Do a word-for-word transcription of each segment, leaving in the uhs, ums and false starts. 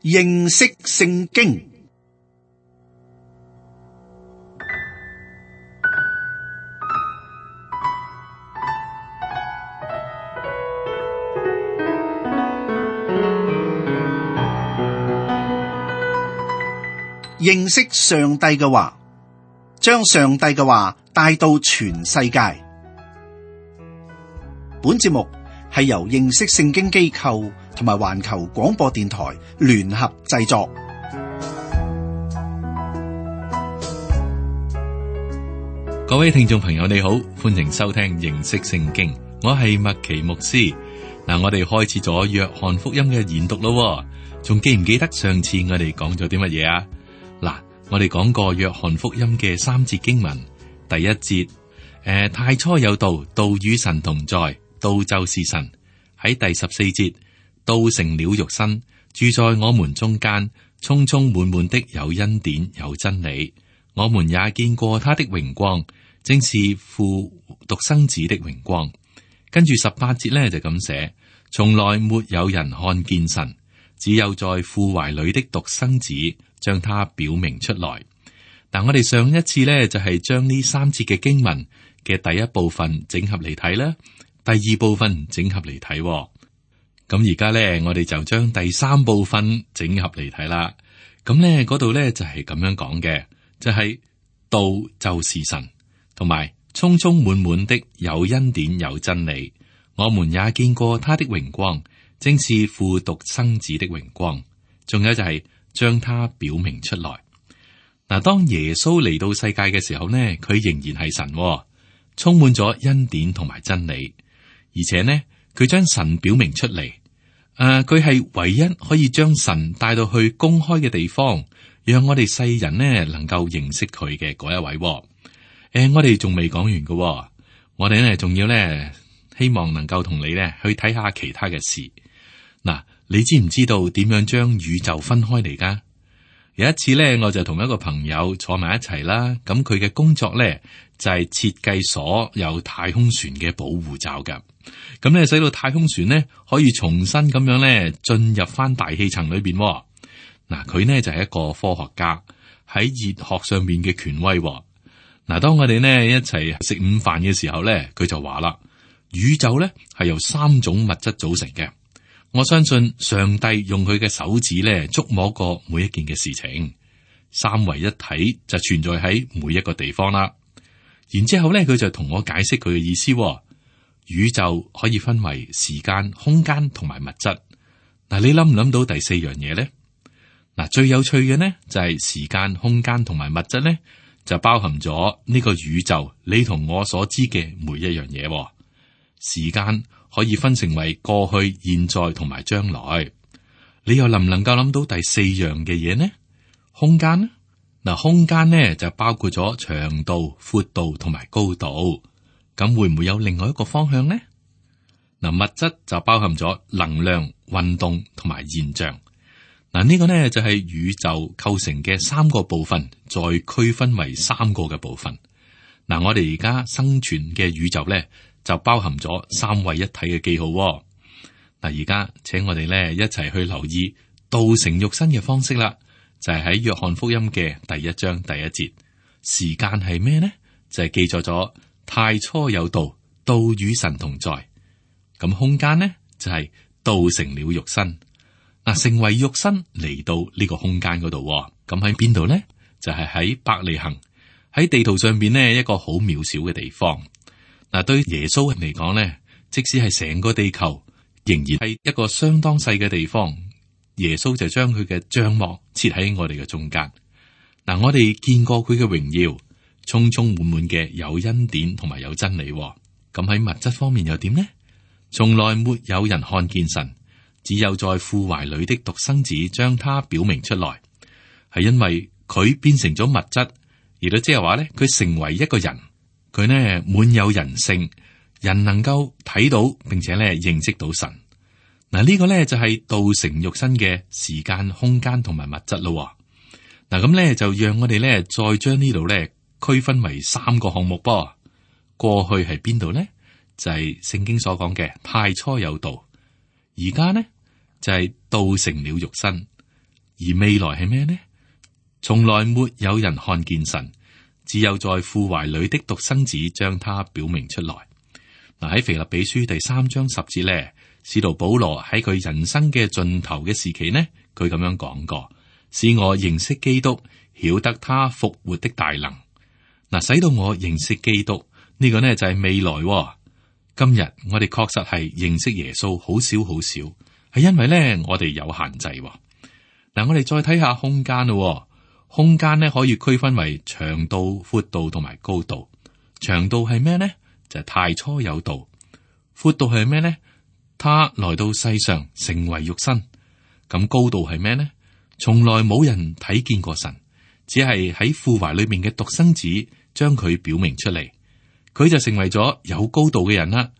認識聖經。認識上帝嘅話，將上帝嘅話帶到全世界。本節目係由認識聖經機構同埋環球廣播電台聯合製作。各位聽眾朋友你好，歡迎收聽認識聖經，我係麥奇牧師。嗱，我哋開始咗約翰福音嘅研讀咯，仲記唔記得上次我哋講咗啲乜嘢啊？嗱，我哋講過約翰福音嘅三節經文，第一節，誒、呃，太初有道，道與神同在，道就是神。喺第十四節，道成了肉身，住在我們中間，充充滿滿的有恩典有真理。我們也見過他的榮光，正是父獨生子的榮光。跟住十八節呢，就咁寫，從來沒有人看見神，只有在父懷裏的獨生子將他表明出來。但我哋上一次呢，就係將呢三節嘅經文嘅第一部分整合嚟睇啦，第二部分整合嚟睇。咁而家呢，我哋就將第三部分整合嚟睇啦。咁呢嗰度呢，就係咁樣講嘅，就係道就是神，同埋充充滿滿的有恩典有真理。我們也見過他的榮光，正是父獨生子的榮光。仲有就係將他表明出來。嗱，當耶穌嚟到世界嘅時候呢，佢仍然係神，充滿咗恩典同埋真理，而且呢，佢將神表明出嚟。誒、呃，佢係唯一可以將神帶到去公開嘅地方，讓我哋世人呢能夠認識佢嘅嗰一位。誒、呃，我哋仲未講完嘅，我哋呢仲要呢希望能夠同你呢去睇下其他嘅事。嗱，你知唔知道點樣將宇宙分開嚟噶？有一次咧，我就同一個朋友坐埋一齊啦。咁佢嘅工作咧就係設計所有太空船嘅保護罩噶。咁咧使到太空船咧可以重新咁樣咧進入翻大氣層裏邊。嗱，佢呢就係一個科學家，喺熱學上面嘅權威。嗱，當我哋呢一齊食午飯嘅時候咧，佢就話啦，宇宙咧係由三種物質組成嘅。我相信上帝用佢嘅手指咧觸摸過每一件嘅事情，三位一體就存在喺每一個地方啦。然之後咧，佢就同我解釋佢嘅意思。宇宙可以分為時間、空間同埋物質。嗱，你諗唔諗到第四樣嘢咧？嗱，最有趣嘅呢就係時間、空間同埋物質咧，就包含咗呢個宇宙你同我所知嘅每一樣嘢。時間可以分成為過去、現在同埋將來。你又能唔能夠諗到第四樣嘅嘢呢？空間呢？嗱，空間呢就包括咗長度、闊度同埋高度。咁會唔會有另外一個方向呢？嗱，物質就包含咗能量、運動同埋現象。嗱，呢個呢就係宇宙構成嘅三個部分，再區分為三個嘅部分。嗱，我哋而家生存嘅宇宙呢，就包含咗三位一體嘅記號。嗱，而家請我哋咧一齊去留意道成肉身嘅方式啦，就係喺約翰福音嘅第一章第一節。時間係咩呢？就係記載咗太初有道，道與神同在。咁空間呢就係道成了肉身。嗱，成為肉身嚟到呢個空間嗰度。咁喺邊度呢？就係喺伯利恆，喺地圖上邊呢一個好渺小嘅地方。嗱，對耶穌嚟講咧，即使係成個地球，仍然係一個相當細嘅地方。耶穌就將佢嘅帳幕設喺我哋嘅中間。嗱，我哋見過佢嘅榮耀，充充滿滿嘅有恩典同埋有真理。咁喺物質方面又點呢？從來沒有人看見神，只有在父懷裏的獨生子將他表明出來。係因為佢變成咗物質，而都即係話咧，佢成為一個人。佢呢滿有人性，人能夠睇到並且咧認識到神。嗱，呢個咧就係道成肉身嘅時間、空間同埋物質咯。嗱，咁咧就讓我哋咧再將呢度咧區分為三個項目噃。過去係邊度咧？就係、是、聖經所講嘅太初有道。而家呢就係、是、道成了肉身。而未來係咩呢？從來沒有人看見神，只有在父懷裏的獨生子將他表明出來。嗱，喺腓立比書第三章十節咧，使徒保羅喺佢人生嘅盡頭嘅時期呢，佢咁樣講過：使我認識基督，曉得他復活的大能。嗱，使到我認識基督呢個呢就係未來。今日我哋確實係認識耶穌好少好少，係因為呢我哋有限制。嗱，我哋再睇下空間咯。空間呢可以區分為長度、闊度同埋高度。長度係咩呢？就係太初有道。闊度係咩呢？他來到世上成為肉身。咁高度係咩呢？從來冇人睇見過神，只係喺父懷裏面嘅獨生子將佢表明出嚟，佢就成為咗有高度嘅人啦，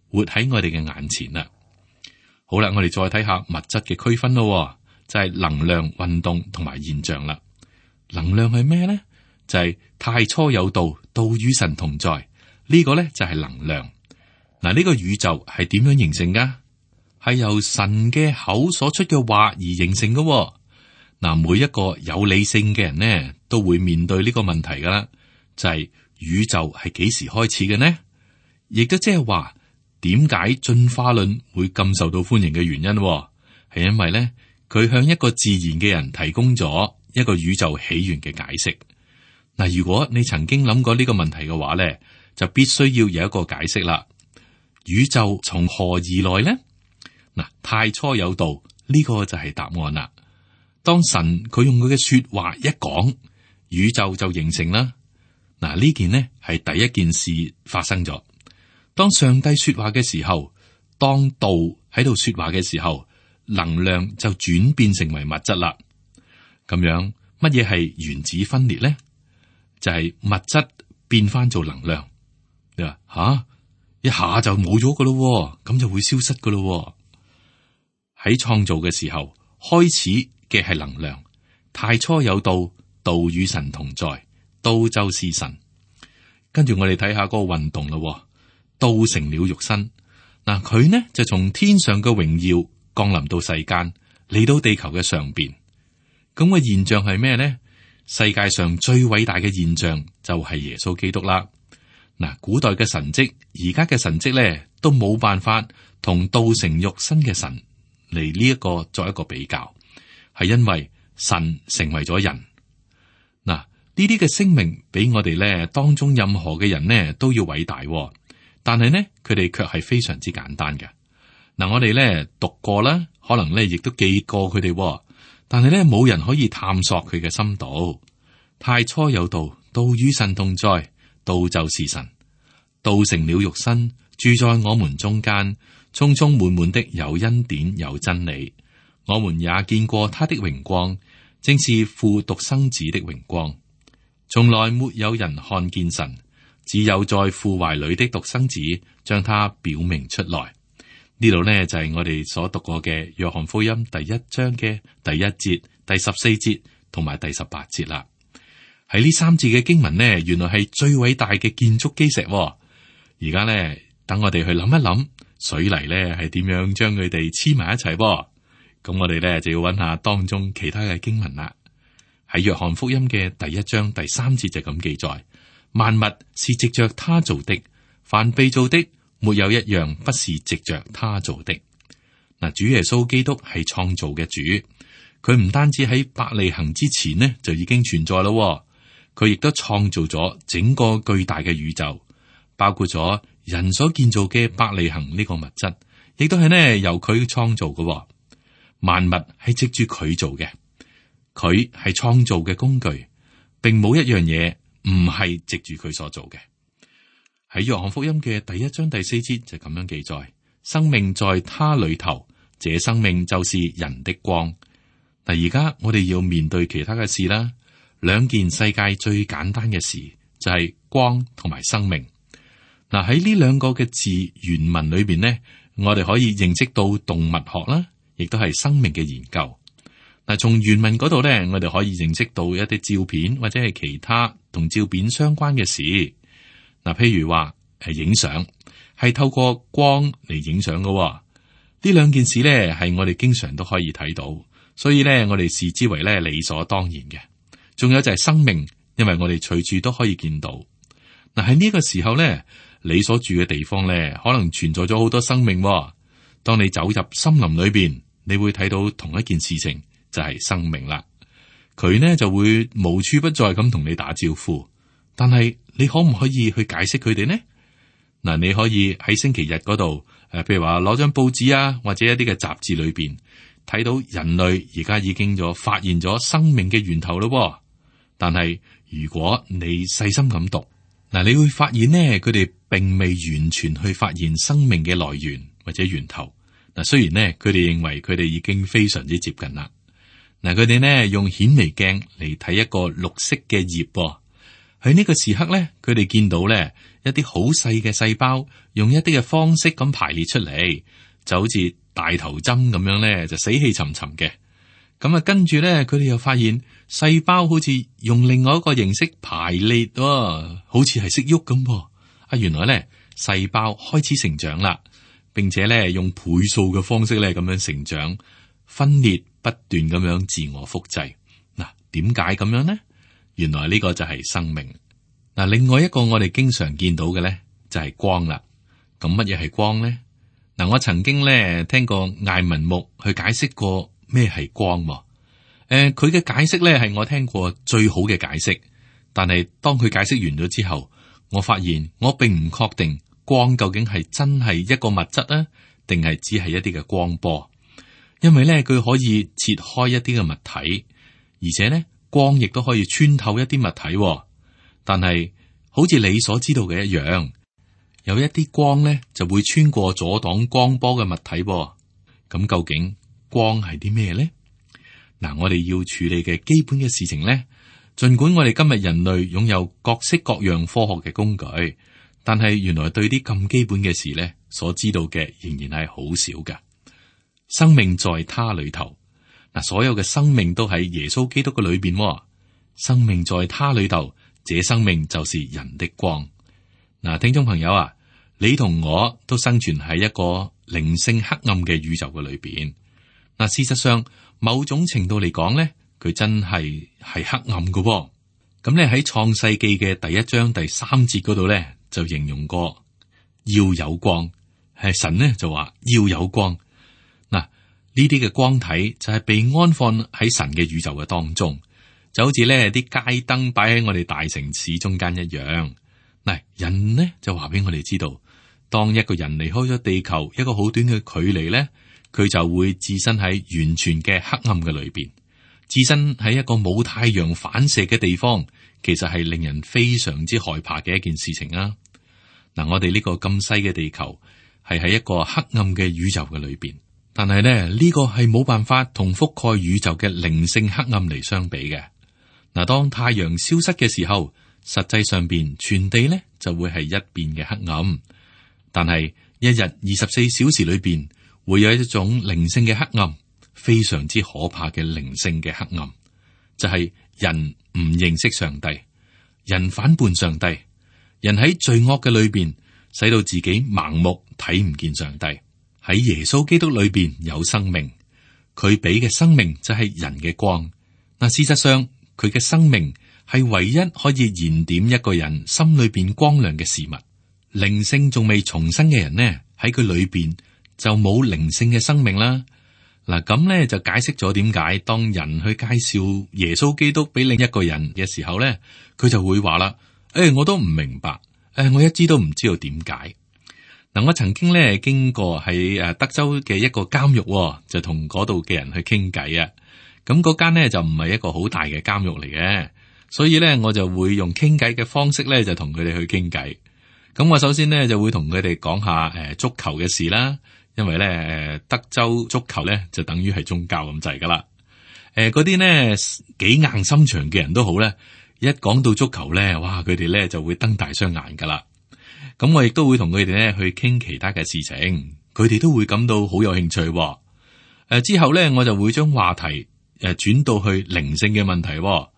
活喺我哋嘅眼前啦。好啦，我哋再睇下物質嘅區分咯，就係能量、運動同埋現象啦。能量係咩呢？就係太初有道，道與神同在。呢個呢就係能量。嗱，呢個宇宙係點樣形成噶？係由神嘅口所出嘅話而形成噶。嗱，每一個有理性嘅人呢，都會面對呢個問題噶啦，就係宇宙係幾時開始嘅呢？亦都即係話，點解進化論會咁受到歡迎嘅原因，係因為呢，佢向一個自然嘅人提供咗一個宇宙起源嘅解釋。嗱，如果你曾經諗過呢個問題嘅話咧，就必須要有一個解釋啦。宇宙從何而來呢？嗱，太初有道，呢個就係答案啦。當神佢用佢嘅說話一講，宇宙就形成啦。嗱，呢件呢係第一件事發生咗。當上帝說話嘅時候，當道喺度說話嘅時候，能量就轉變成為物質啦。咁樣，乜嘢係原子分裂呢？就係物質變翻做能量。你話吓，一下就冇咗噶咯，咁就會消失噶咯。喺創造嘅時候，開始嘅係能量。太初有道，道與神同在，道就是神。跟住我哋睇下嗰個運動咯。道成了肉身，嗱，佢呢就從天上嘅榮耀降臨到世間，嚟到地球嘅上邊。咁個現象係咩呢？世界上最偉大嘅現象就係耶穌基督啦。嗱，古代嘅神蹟，而家嘅神蹟咧，都冇辦法同道成肉身嘅神嚟呢一個作一個比較，係因為神成為咗人。嗱，呢啲嘅聲明比我哋咧當中任何嘅人呢都要偉大，但係呢，佢哋卻係非常之簡單嘅。嗱，我哋咧讀過啦，可能咧亦都記過佢哋。但係咧，冇人可以探索佢嘅深度。太初有道，道與神同在，道就是神。道成了肉身，住在我們中間，充充滿滿的有恩典有真理。我們也見過他的榮光，正是父獨生子的榮光。從來沒有人看見神，只有在父懷裏的獨生子將他表明出來。呢度呢，就係我哋所讀過嘅約翰福音第一章嘅第一節、第十四節同埋第十八節啦。喺呢三節嘅經文呢，原來係最偉大嘅建築基石。而家呢，等我哋去諗一諗水泥呢係點樣將佢哋黐埋一齊。咁我哋呢，就要揾下當中其他嘅經文啦。喺約翰福音嘅第一章第三節就咁記載：萬物是藉着他造的，凡被造的，沒有一樣不是藉着他做的。嗱，主耶穌基督係創造嘅主，佢唔單止喺伯利恆之前呢就已經存在咯，佢亦都創造咗整個巨大嘅宇宙，包括咗人所建造嘅伯利恆呢個物質，亦都係呢由佢創造嘅。萬物係藉住佢做嘅，佢係創造嘅工具，並冇一樣嘢唔係藉住佢所做嘅。喺約翰福音嘅第一章第四節就咁樣記載：生命在他裏頭，這生命就是人的光。嗱，而家我哋要面對其他嘅事啦，兩件世界最簡單嘅事就係光同埋生命。嗱，喺呢兩個嘅字原文裏邊呢，我哋可以認識到動物學啦，亦都係生命嘅研究。嗱，從原文嗰度呢，我哋可以認識到一啲照片或者係其他同照片相關嘅事。嗱，譬如話係影相，係透過光嚟影相嘅。呢兩件事咧，係我哋經常都可以睇到，所以咧我哋視之為咧理所當然嘅。仲有就係生命，因為我哋隨處都可以見到。嗱，喺呢個時候咧，你所住嘅地方咧，可能存在咗好多生命喎。當你走入森林裏邊，你會睇到同一件事情，就係生命啦。佢呢就會無處不在咁同你打招呼，但係你可唔可以去解釋佢哋呢？嗱，你可以喺星期日嗰度，誒，譬如話攞張報紙啊，或者一啲嘅雜誌裏邊睇到人類而家已經咗發現咗生命嘅源頭咯喎。但係如果你細心咁讀，嗱，你會發現呢，佢哋並未完全去發現生命嘅來源或者源頭。嗱，雖然呢，佢哋認為佢哋已經非常之接近啦。嗱，佢哋呢用顯微鏡嚟睇一個綠色嘅葉，喺呢個時刻呢，佢哋見到呢一啲好細嘅細胞，用一啲嘅方式咁排列出嚟，就好似大頭針咁樣呢，就死氣沉沉嘅。咁啊，跟住咧，佢哋又發現細胞好似用另外一個形式排列，喎，好似係識喐咁噃。啊，原來咧細胞開始成長啦，並且咧用倍數嘅方式咧咁樣成長，分裂不斷咁樣自我複製。嗱，點解咁樣呢？原來呢個就係生命。嗱，另外一個我哋經常見到嘅咧就係光啦。咁乜嘢係光咧？嗱，我曾經咧聽過艾文牧去解釋過。咩係光？誒、呃，佢嘅解釋咧係我聽過最好嘅解釋。但係當佢解釋完咗之後，我發現我並唔確定光究竟係真係一個物質啊，定係只係一啲嘅光波。因為咧佢可以切開一啲嘅物體，而且咧光亦都可以穿透一啲物體。但係好似你所知道嘅一樣，有一啲光咧就會穿過阻擋光波嘅物體。咁究竟光係啲咩咧？嗱，我哋要處理嘅基本嘅事情咧，盡管我哋今日人類擁有各式各樣科學嘅工具，但係原來對啲咁基本嘅事咧，所知道嘅仍然係好少㗎。生命在他裏頭，嗱，所有嘅生命都喺耶穌基督嘅裏邊。生命在他裏頭，這生命就是人的光。嗱，聽眾朋友啊，你同我都生存喺一個靈性黑暗嘅宇宙嘅裏邊。嗱，事實上，某種程度嚟講咧，佢真係係黑暗嘅喎。咁咧喺創世記嘅第一章第三節嗰度咧，就形容過要有光，係神咧就話要有光。嗱，呢啲嘅光體就係被安放喺神嘅宇宙嘅當中，就好似咧啲街燈擺喺我哋大城市中間一樣。嗱，人呢就話俾我哋知道，當一個人離開咗地球一個好短嘅距離咧，佢就會置身喺完全嘅黑暗嘅裏邊，置身喺一個冇太陽反射嘅地方，其實係令人非常之害怕嘅一件事情啊！嗱，我哋呢個咁細嘅地球係喺一個黑暗嘅宇宙嘅裏邊，但係咧呢個係冇辦法同覆蓋宇宙嘅靈性黑暗嚟相比嘅。嗱，當太陽消失嘅時候，實際上邊全地咧就會係一片嘅黑暗，但係一日二十四小時裏邊，會有一種靈性嘅黑暗，非常之可怕嘅靈性嘅黑暗，就係人唔認識上帝，人反叛上帝，人喺罪惡嘅裏邊，使到自己盲目睇唔見上帝。喺耶穌基督裏邊有生命，佢俾嘅生命就係人嘅光。嗱，事實上佢嘅生命係唯一可以燃點一個人心裏邊光亮嘅事物。靈性仲未重生嘅人呢，喺佢裏邊就冇靈性嘅生命啦。嗱，咁咧就解釋咗點解當人去介紹耶穌基督俾另一個人嘅時候咧，佢就會話啦：誒、哎，我都唔明白，誒、哎，我一知都唔知道點解。嗱，我曾經咧經過喺誒德州嘅一個監獄，就同嗰度嘅人去傾偈啊。咁嗰間咧就唔係一個好大嘅監獄嚟嘅，所以咧我就會用傾偈嘅方式咧就同佢哋去傾偈。咁我首先咧就會同佢哋講下誒足球嘅事啦。因為咧，德州足球咧就等於係宗教咁滯噶啦。誒、呃，嗰啲呢幾硬心腸嘅人都好咧，一講到足球咧，哇，佢哋咧就會瞪大雙眼噶啦。咁我亦都會同佢哋咧去傾其他嘅事情，佢哋都會感到好有興趣、哦。誒、呃，之後咧我就會將話題誒轉到去靈性嘅問題、哦。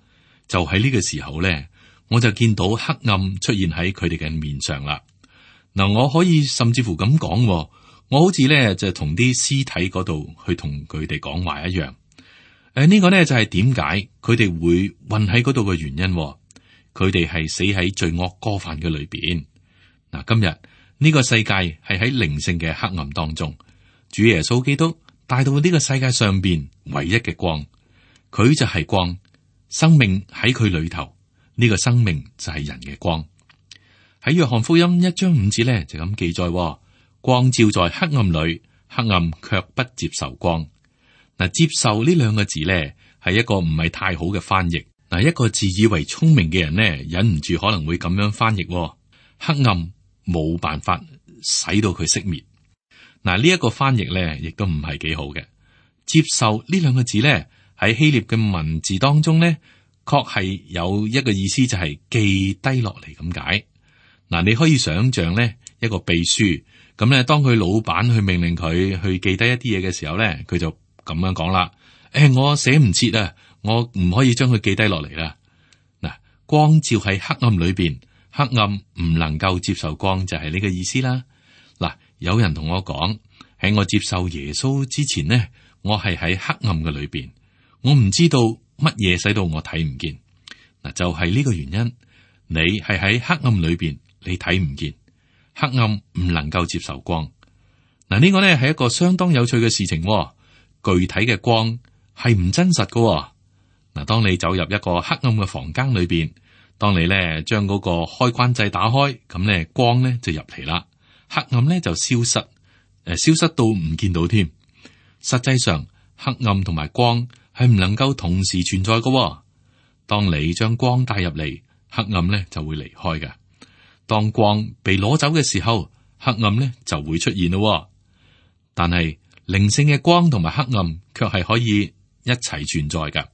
就喺呢個時候咧，我就見到黑暗出現喺佢哋嘅面上啦。嗱，我可以甚至乎咁講、哦。我好似咧就同啲屍體嗰度去同佢哋講話一樣。誒，呢個呢就係點解佢哋會混喺嗰度嘅原因。佢哋係死喺罪惡過犯嘅裏邊。嗱，今日呢個世界係喺靈性嘅黑暗當中，主耶穌基督帶到呢個世界上邊唯一嘅光，佢就係光，生命喺佢裏頭，呢個生命就係人嘅光。喺約翰福音一章五節咧就咁記載：光照在黑暗裏，黑暗卻不接受光。嗱，接受呢兩個字咧係一個唔係太好嘅翻譯。嗱，一個自以為聰明嘅人呢，忍唔住可能會咁樣翻譯：黑暗冇辦法使到佢熄滅。嗱，呢一個翻譯咧亦都唔係幾好嘅。接受呢兩個字咧喺希臘嘅文字當中咧，確係有一個意思就係記低落嚟咁解。嗱，你可以想象咧一個秘書咁咧，當佢老闆去命令佢去記低一啲嘢嘅時候咧，佢就咁樣講啦：誒、欸，我寫唔切啊！我唔可以將佢記低落嚟啦。嗱，光照喺黑暗裏邊，黑暗唔能夠接受光，就係呢個意思啦。嗱，有人同我講，喺我接受耶穌之前呢，我係喺黑暗嘅裏邊，我唔知道乜嘢使到我睇唔見。嗱，就係呢個原因，你係喺黑暗裏邊，你睇唔見，黑暗唔能夠接受光。嗱，呢個呢係一個相當有趣嘅事情。具體嘅光係唔真實噶。嗱，當你走入一個黑暗嘅房間裏邊，當你咧將嗰個開關掣打開，咁咧光咧就入嚟啦，黑暗咧就消失，誒，消失到唔見到添。實際上，黑暗同埋光係唔能夠同時存在噶。當你將光帶入嚟，黑暗咧就會離開嘅。當光被攞走嘅時候，黑暗咧就會出現咯。但係靈性嘅光同埋黑暗卻係可以一齊存在噶。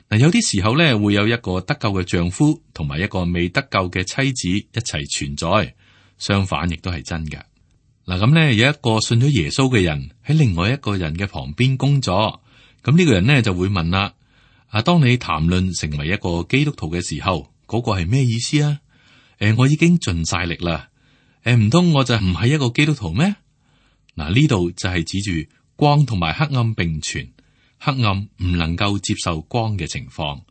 嗱，有啲時候咧，會有一個得救嘅丈夫同埋一個未得救嘅妻子一齊存在，相反亦都係真嘅。嗱，咁咧有一個信咗耶穌嘅人喺另外一個人嘅旁邊工作，咁呢個人咧就會問啦：啊，當你談論成為一個基督徒嘅時候，嗰個係咩意思啊？誒，我已經盡晒力啦，誒，唔通我就唔係一個基督徒咩？嗱，呢度就係指住光同埋黑暗並存。黑暗唔能夠接受光嘅情況，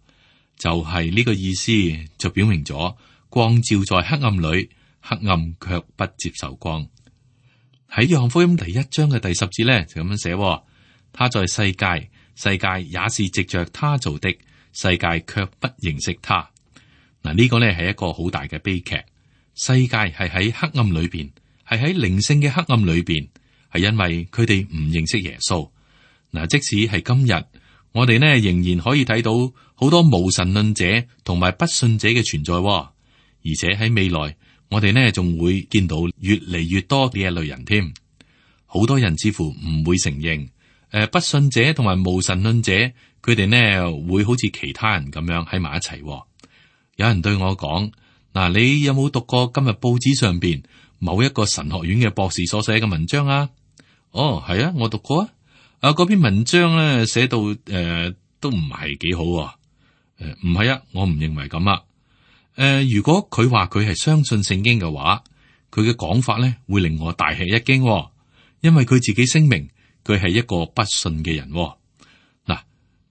就係呢個意思，就表明咗光照在黑暗裏，黑暗卻不接受光。喺約翰福音第一章嘅第十節咧，就咁樣寫：他在世界，世界也是藉着他做的，世界卻不認識他。嗱，呢個咧係一個好大嘅悲劇。世界係喺黑暗裏邊，係喺靈性嘅黑暗裏邊，係因為佢哋唔認識耶穌。嗱，即使係今日，我哋呢仍然可以睇到好多無神論者同埋不信者嘅存在，而且喺未來，我哋呢仲會見到越嚟越多呢一類人添。好多人似乎唔會承認，誒，不信者同埋無神論者，佢哋呢會好似其他人咁樣喺埋一齊。有人對我講：嗱，你有冇讀過今日報紙上邊某一個神學院嘅博士所寫嘅文章啊？哦，係啊，我讀過啊。啊！嗰篇文章咧寫到誒、呃、都唔係幾好誒，唔係啊，我唔認為咁啊。誒、呃，如果佢話佢係相信聖經嘅話，佢嘅講法咧會令我大吃一驚、哦，因為佢自己聲明佢係一個不信嘅人、哦。嗱，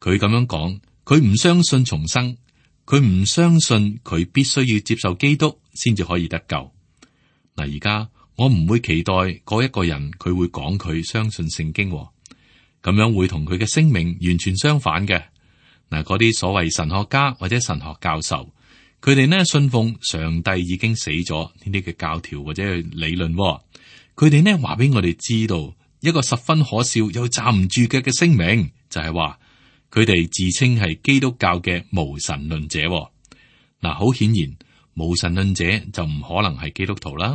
佢咁樣講，佢唔相信重生，佢唔相信佢必須要接受基督先至可以得救。嗱，而家我唔會期待嗰一個人佢會講佢相信聖經、哦。咁樣會同佢嘅聲明完全相反嘅。嗱，嗰啲所謂神學家或者神學教授，佢哋呢信奉上帝已經死咗呢啲嘅教條或者理論，佢哋呢話俾我哋知道一個十分可笑又站唔住腳嘅聲明，就係話佢哋自稱係基督教嘅無神論者。嗱，好顯然無神論者就唔可能係基督徒啦。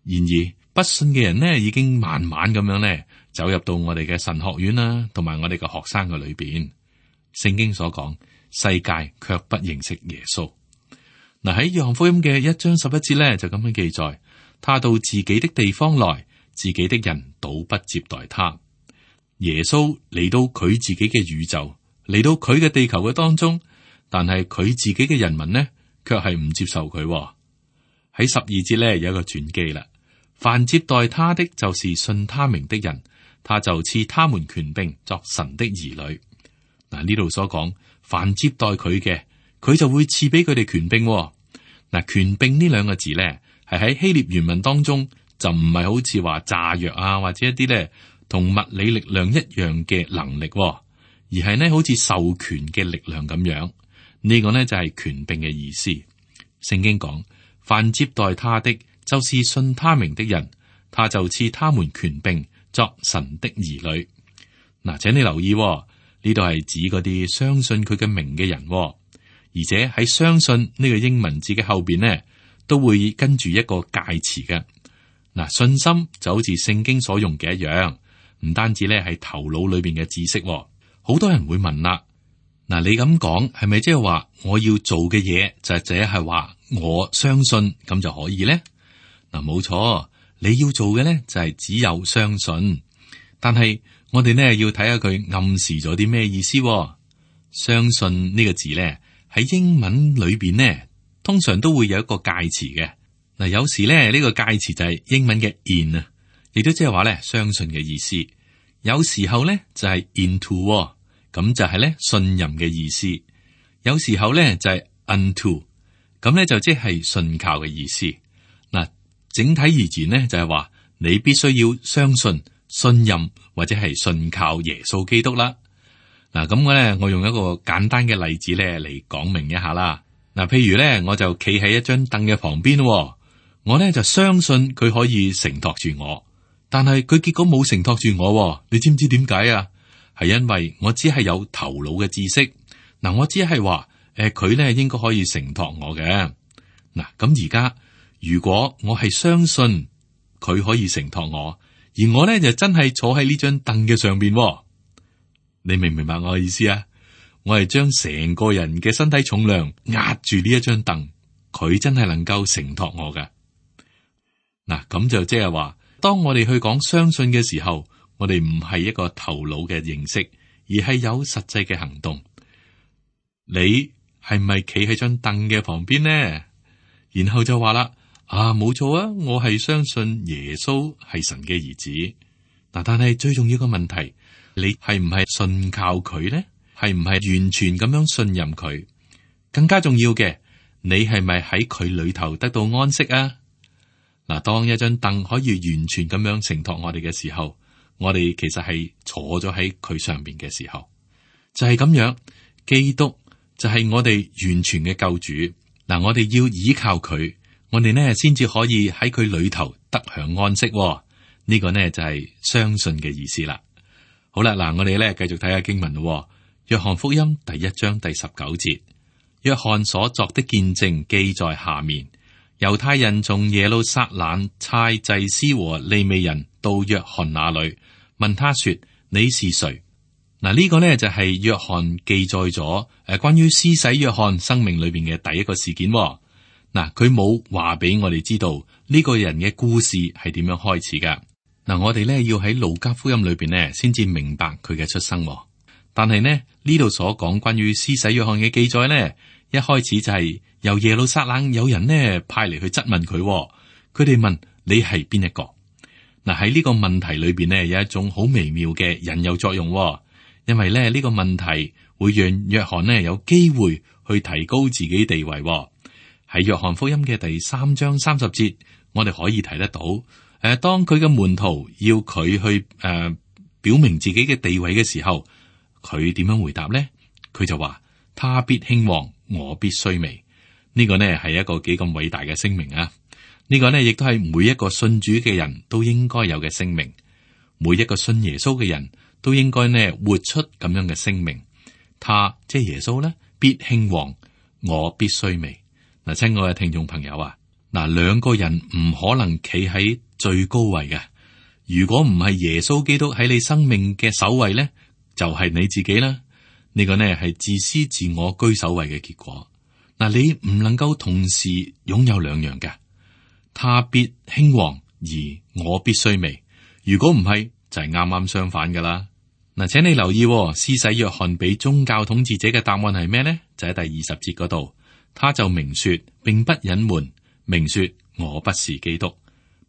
然而不信嘅人呢，已經慢慢咁樣呢。走入到我哋嘅神學院啦，同埋我哋嘅學生嘅裏邊，聖經所講，世界卻不認識耶穌。嗱，喺約翰福音嘅一章十一節咧，就咁樣記載：他到自己的地方來，自己的人倒不接待他。耶穌嚟到佢自己嘅宇宙，嚟到佢嘅地球嘅當中，但係佢自己嘅人民呢，卻係唔接受佢。喺十二節咧有一個轉機啦，凡接待他的，就是信他名的人。他就賜他們權柄作神的兒女。嗱，呢度所講，凡接待佢嘅，佢就會賜俾佢哋權柄。嗱，權柄呢兩個字咧，係喺希臘原文當中就唔係好似話炸藥啊，或者一啲咧同物理力量一樣嘅能力，而係呢好似授權嘅力量咁樣。呢個呢就係權柄嘅意思。聖經講，凡接待他的，就是信他名的人，他就賜他們權柄作神的兒女。嗱，請你留意，呢度係指嗰啲相信佢嘅名嘅人，而且喺相信呢個英文字嘅後邊呢，都會跟住一個介詞嘅。嗱，信心就好似聖經所用嘅一樣，唔單止咧係頭腦裏邊嘅知識。好多人會問啦，嗱，你咁講係咪即係話我要做嘅嘢就係只係話我相信咁就可以咧？嗱，冇錯，你要做嘅咧就係只有相信，但係我哋呢要睇下佢暗示咗啲咩意思。相信呢個字咧喺英文裏邊呢，通常都會有一個介詞嘅。嗱，有時咧呢個介詞就係英文嘅 in 啊，亦都即係話咧相信嘅意思。有時候咧就係 into，咁就係咧信任嘅意思。有時候咧就係 unto，咁咧就即係信靠嘅意思。嗱，整體而言呢，就係話你必須要相信、信任或者係信靠耶穌基督啦。嗱，咁我咧我用一個簡單嘅例子咧嚟講明一下啦。嗱，譬如咧我就企喺一張凳嘅旁邊，我咧就相信佢可以承托住我。但係佢結果冇承托住我，你知唔知點解啊？係因為我只係有頭腦嘅知識，嗱，我只係話，誒，佢咧應該可以承托我嘅。嗱，咁而家如果我係相信佢可以承托我，而我咧就真係坐喺呢張凳嘅上邊，你明唔明白我嘅意思啊？我係將成個人嘅身體重量壓住呢一張凳，佢真係能夠承托我嘅。嗱，咁就即係話。當我哋去講相信嘅時候，我哋唔係一個頭腦嘅認識，而係有實際嘅行動。你係咪企喺張凳嘅旁邊呢？然後就話啦，啊，冇錯啊，我係相信耶穌係神嘅兒子。嗱，但係最重要嘅問題，你係唔係信靠佢呢？係唔係完全咁樣信任佢？更加重要嘅，你係咪喺佢裏頭得到安息啊？嗱，當一張凳可以完全咁樣承托我哋嘅時候，我哋其實係坐咗喺佢上邊嘅時候，就係咁樣。基督就係我哋完全嘅救主。嗱，我哋要依靠佢，我哋呢先至可以喺佢裏頭得享安息。呢個呢就係相信嘅意思啦。好啦，嗱，我哋咧繼續睇下經文咯。約翰福音第一章第十九節，約翰所作的見證記在下面。猶太人從耶路撒冷差祭司和利未人到約翰那裏，問他說：你是誰？嗱，呢個呢就係約翰記載咗誒關於施洗約翰生命裏邊嘅第一個事件。嗱，佢冇話俾我哋知道呢個人嘅故事係點樣開始噶。嗱，我哋呢要喺路加福音裏邊呢先至明白佢嘅出生。但係呢呢度所講關於施洗約翰嘅記載呢，一開始就係由耶路撒冷有人呢派嚟去質問佢，佢哋問你係邊一個？嗱，喺呢個問題裏邊呢，有一種好微妙嘅引誘作用，因為咧呢個問題會讓約翰呢有機會去提高自己地位。喺約翰福音嘅第三章三十節，我哋可以睇得到，誒，當佢嘅門徒要佢去誒、呃、表明自己嘅地位嘅時候，佢點樣回答呢？佢就話：他必興旺，我必衰微。呢個呢係一個幾咁偉大嘅聲明啊！呢個呢亦都係每一個信主嘅人都應該有嘅聲明，每一個信耶穌嘅人都應該呢活出咁樣嘅聲明。他即係耶穌呢，必興旺，我必衰微。嗱，親愛嘅聽眾朋友啊，嗱，兩個人唔可能企喺最高位嘅。如果唔係耶穌基督喺你生命嘅首位呢，就係你自己啦。呢個呢係自私自我居首位嘅結果。嗱，你唔能夠同時擁有兩樣嘅，他必興旺，而我必衰微。如果唔係，就係啱啱相反噶啦。嗱，請你留意，施洗約翰俾宗教統治者嘅答案係咩呢？就喺第二十節嗰度，他就明說，並不隱瞞，明說我不是基督。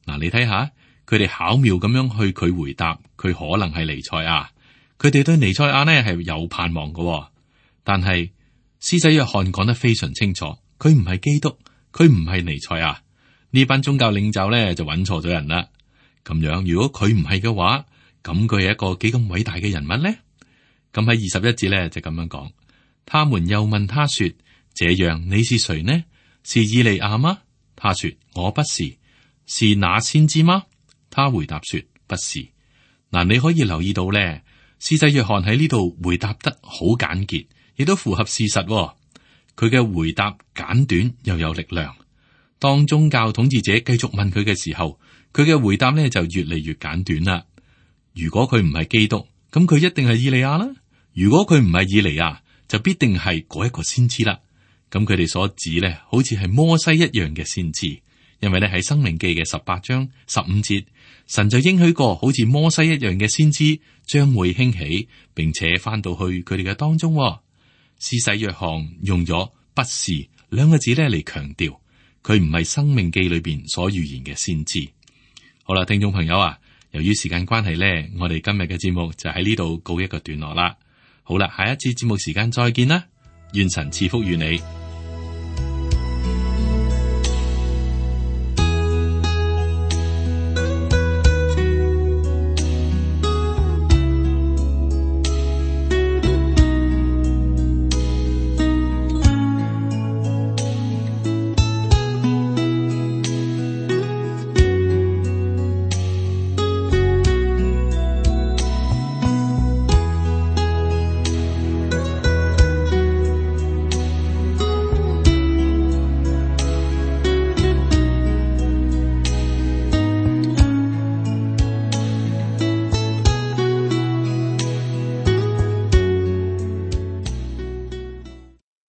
嗱，你睇下，佢哋巧妙咁樣去佢回答，佢可能係彌賽亞，佢哋對彌賽亞呢係有盼望嘅。但係施洗約翰講得非常清楚，佢唔係基督，佢唔係彌賽亞。呢班宗教領袖咧就揾錯咗人啦。咁樣如果佢唔係嘅話，咁佢係一個幾咁偉大嘅人物呢？咁喺二十一節咧就咁樣講，他們又問他說：這樣你是誰呢？是以利亞嗎？他說：我不是。是那先知嗎？他回答說：不是。嗱，你可以留意到咧，施洗約翰喺呢度回答得好簡潔，亦都符合事實。佢嘅回答簡短又有力量。當宗教統治者繼續問佢嘅時候，佢嘅回答咧就越嚟越簡短啦。如果佢唔係基督，咁佢一定係以利亞啦。如果佢唔係以利亞，就必定係嗰一個先知啦。咁佢哋所指咧，好似係摩西一樣嘅先知，因為咧喺申命記嘅十八章十五節，神就應許過，好似摩西一樣嘅先知將會興起，並且翻到去佢哋嘅當中。施洗約翰用咗不是兩個字咧嚟強調，佢唔係申命記裏邊所預言嘅先知。好啦，聽眾朋友啊，由於時間關係咧，我哋今日嘅節目就喺呢度告一個段落啦。好啦，下一次節目時間再見啦，願神賜福於你。